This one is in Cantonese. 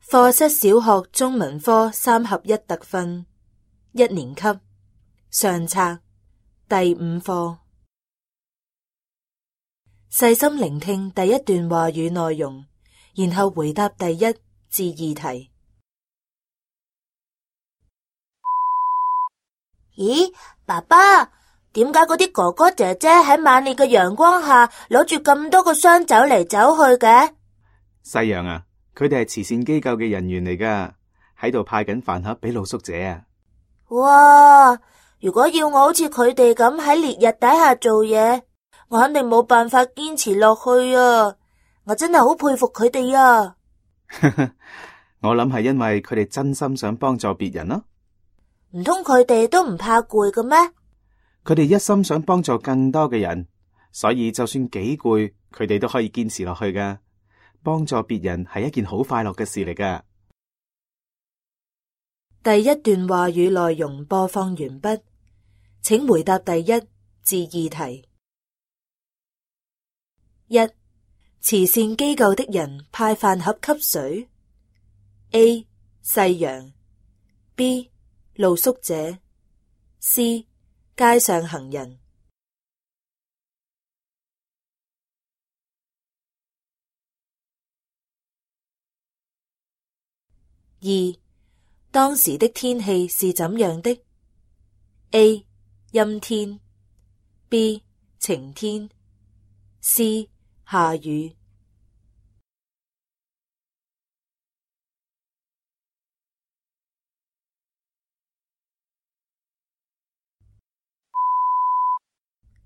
課室小學中文科3合1特訓1年級上冊第5課。細心聆聽第一段話語內容，然後回答第1至2題。咦，爸爸，點解嗰啲哥哥姐姐喺猛烈嘅陽光下攞住咁多個箱走嚟走去嘅？細陽啊，佢哋係慈善機構嘅人員嚟噶，喺度派緊飯盒俾露宿者啊！哇，如果要我好似佢哋咁喺烈日底下做嘢，我肯定冇辦法堅持落去啊！我真係好佩服佢哋啊！我諗係因為佢哋真心想幫助別人咯。唔通佢哋都唔怕攰嘅咩？佢哋一心想幫助更多嘅人，所以就算幾攰，佢哋都可以堅持落去噶。幫助別人係一件好快樂嘅事嚟噶。第一段話語內容播放完畢，請回答第1至2題。1. 慈善機構的人派飯盒給誰？ A. 細陽 B. 露宿者 C. 街上行人。 2. 當時的天氣是怎樣的？ A. 陰天 B. 晴天 C. 下雨。